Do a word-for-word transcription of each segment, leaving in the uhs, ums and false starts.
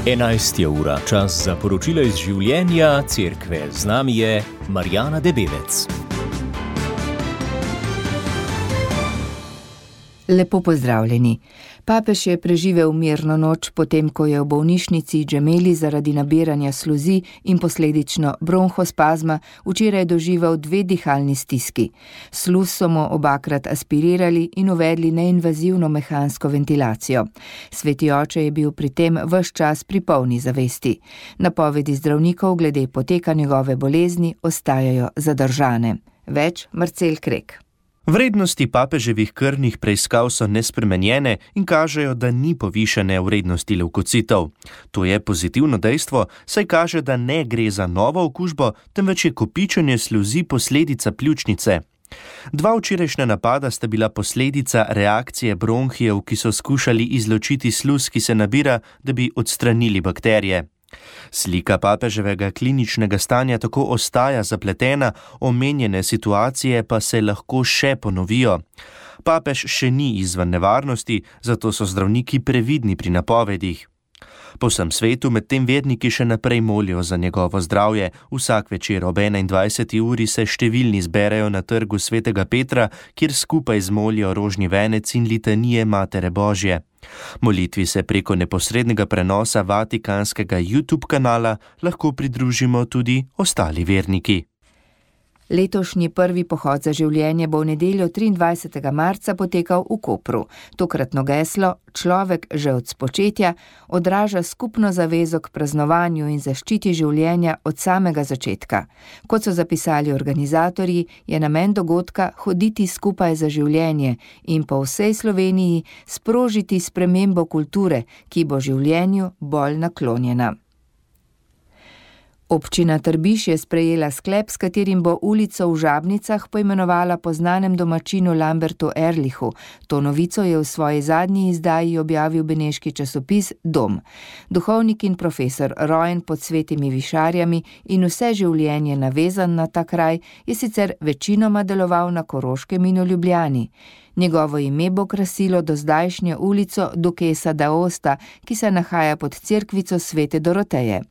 enajst je ura, čas za poročila iz življenja cerkve. Z nami je Marjana Debevec. Lepo pozdravljeni. Papež je preživel mirno noč, potem ko je v bolnišnici Gemelli zaradi nabiranja sluzi in posledično bronhospazma včeraj doživel dve dihalni stiski. Sluz so mu obakrat aspirirali in uvedli neinvazivno mehansko ventilacijo. Sveti oče je bil pri tem ves čas pri polni zavesti. Napovedi zdravnikov glede poteka njegove bolezni ostajajo zadržane. Več Marcel Krek. Vrednosti papeževih krvnih preiskav so nespremenjene in kažejo, da ni povišane vrednosti levkocitov. To je pozitivno dejstvo, saj kaže, da ne gre za novo okužbo, temveč je kopičenje sluzi posledica pljučnice. Dva včerajšnja napada sta bila posledica reakcije bronhijev, ki so skušali izločiti sluz, ki se nabira, da bi odstranili bakterije. Slika papeževega kliničnega stanja tako ostaja zapletena, omenjene situacije pa se lahko še ponovijo. Papež še ni izven nevarnosti, zato so zdravniki previdni pri napovedih. Po vsem svetu medtem verniki še naprej molijo za njegovo zdravje. Vsak večer ob enaindvajseti uri se številni zberejo na trgu svetega Petra, kjer skupaj zmolijo rožni venec in litanije Matere Božje. Molitvi se preko neposrednega prenosa vatikanskega YouTube kanala lahko pridružimo tudi ostali verniki. Letošnji prvi pohod za življenje bo v nedeljo triindvajsetega marca potekal v Kopru. Tokratno geslo Človek že od spočetja odraža skupno zavezo k praznovanju in zaščiti življenja od samega začetka. Kot so zapisali organizatorji, je namen dogodka hoditi skupaj za življenje in po vsej Sloveniji sprožiti spremembo kulture, ki bo življenju bolj naklonjena. Občina Trbiž je sprejela sklep, s katerim bo ulico v Žabnicah poimenovala po znanem domačinu Lambertu Erlichu. To novico je v svoji zadnji izdaji objavil beneški časopis Dom. Duhovnik in profesor, rojen pod svetimi višarjami in vse življenje navezan na ta kraj, je sicer večinoma deloval na Koroškem in v Ljubljani. Njegovo ime bo krasilo dozdajšnjo ulico Dukesa d'Aosta, ki se nahaja pod cerkvico svete Doroteje.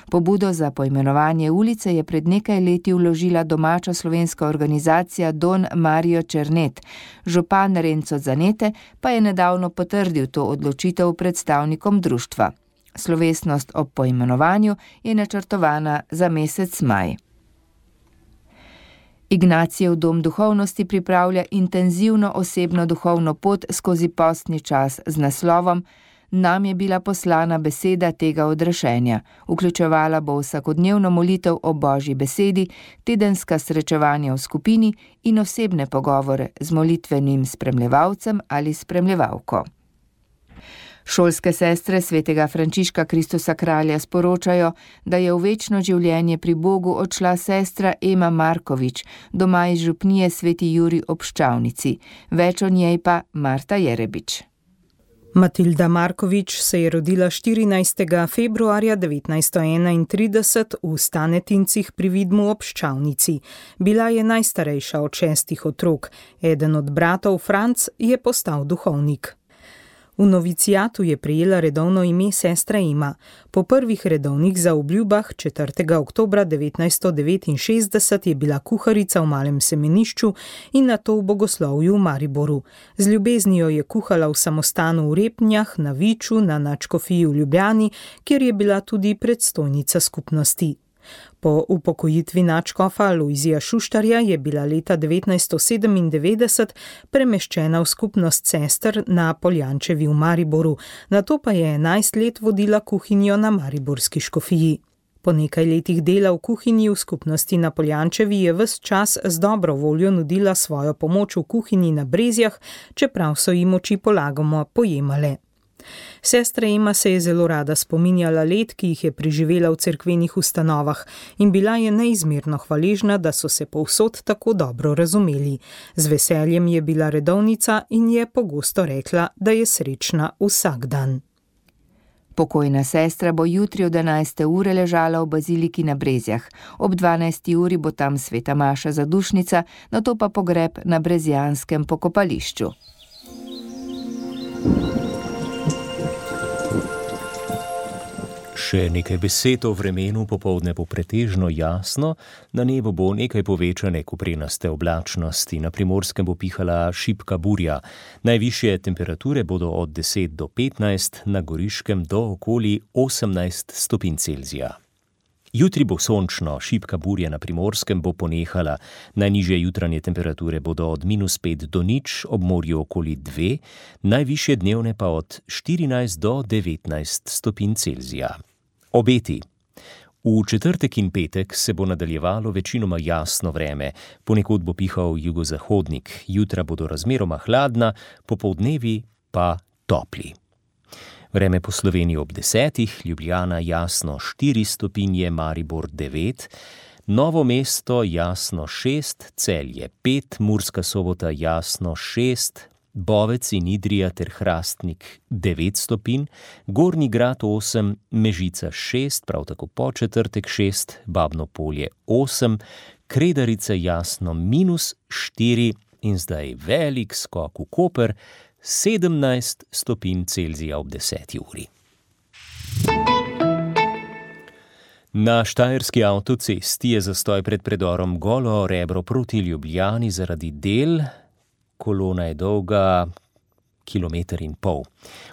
Pobudo za poimenovanje ulice je pred nekaj leti vložila domača slovenska organizacija Don Mario Černet. Župan Renzo Zanete pa je nedavno potrdil to odločitev predstavnikom društva. Slovesnost ob poimenovanju je načrtovana za mesec maj. Ignacijev dom duhovnosti pripravlja intenzivno osebno duhovno pot skozi postni čas z naslovom Nam je bila poslana beseda tega odrešenja. Vključevala bo vsakodnevno molitev o Božji besedi, tedenska srečevanja v skupini in osebne pogovore z molitvenim spremljevalcem ali spremljevalko. Šolske sestre svetega Frančiška Kristusa kralja sporočajo, da je v večno življenje pri Bogu odšla sestra Ema Markovič, doma iz župnije Sveti Jurij ob Ščavnici. Več o njej pa Marta Jerebič. Matilda Markovič se je rodila štirinajstega februarja devetnajststo enaintrideset v Stanetincih pri Vidmu ob Ščavnici. Bila je najstarejša od šestih otrok. Eden od bratov, Franc, je postal duhovnik. V novicijatu je prejela redovno ime sestra Ema. Po prvih redovnih zaobljubah četrtega oktobra devetnajststo devetinšestdeset je bila kuharica v Malem Semenišču in nato v bogoslovju v Mariboru. Z ljubeznijo je kuhala v samostanu v Repnjah, na Viču, na nadškofiji v Ljubljani, kjer je bila tudi predstojnica skupnosti. Po upokojitvi nadškofa Lojzija Šuštarja je bila leta devetnajststo sedemindevetdeset premeščena v skupnost sester na Poljančevi v Mariboru, nato pa je enajst let vodila kuhinjo na mariborski škofiji. Po nekaj letih dela v kuhinji v skupnosti na Poljančevi je ves čas z dobro voljo nudila svojo pomoč v kuhinji na Brezjah, čeprav so jim oči polagoma pojemale. Sestra Ema se je zelo rada spominjala let, ki jih je preživela v cerkvenih ustanovah in bila je neizmerno hvaležna, da so se povsod tako dobro razumeli. Z veseljem je bila redovnica in je pogosto rekla, da je srečna vsak dan. Pokojna sestra bo jutri od enajste ure ležala v baziliki na Brezjah. Ob dvanajsti uri bo tam sveta maša zadušnica, nato pa pogreb na brezjanskem pokopališču. Še nekaj besed o vremenu. Popoldne bo pretežno jasno, na nebu bo nekaj povečane koprenaste oblačnosti, na Primorskem bo pihala šibka burja. Najvišje temperature bodo od deset do petnajst, na Goriškem do okoli osemnajst stopinj Celzija. Jutri bo sončno, šibka burja na Primorskem bo ponehala. Najnižje jutranje temperature bodo od minus pet do nič, ob morju okoli dve, najvišje dnevne pa od štirinajst do devetnajst stopinj Celzija. Obeti. V četrtek in petek se bo nadaljevalo večinoma jasno vreme, ponekod bo pihal jugozahodnik, jutra bodo razmeroma hladna, popoldnevi pa topli. Vreme po Sloveniji ob desetih, Ljubljana jasno štiri stopinje, Maribor devet, Novo mesto jasno šest, Celje pet, Murska Sobota jasno šest, Bovec in Idrija ter Hrastnik devet stopinj, Gornji Grad osem, Mežica šest, prav tako po četrtek šest, Babno Polje osem, Kredarica jasno minus štiri in zdaj velik skok v Koper, sedemnajst stopinj Celzija ob deseti uri. Na štajerski avtocesti je zastoj pred predorom Golo Rebro proti Ljubljani zaradi del. Kolona je dolga kilometer in pol.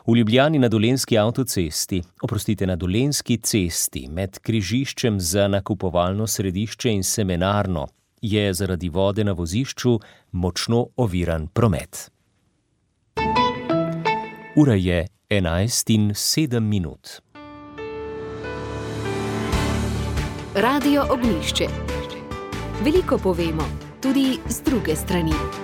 V Ljubljani na Dolenjski avtocesti, oprostite, na Dolenjski cesti med križiščem za nakupovalno središče in semenarno je zaradi vode na vozišču močno oviran promet. Ura je enajst in sedem minut. Radio Ognjišče. Veliko povemo, tudi z druge strani.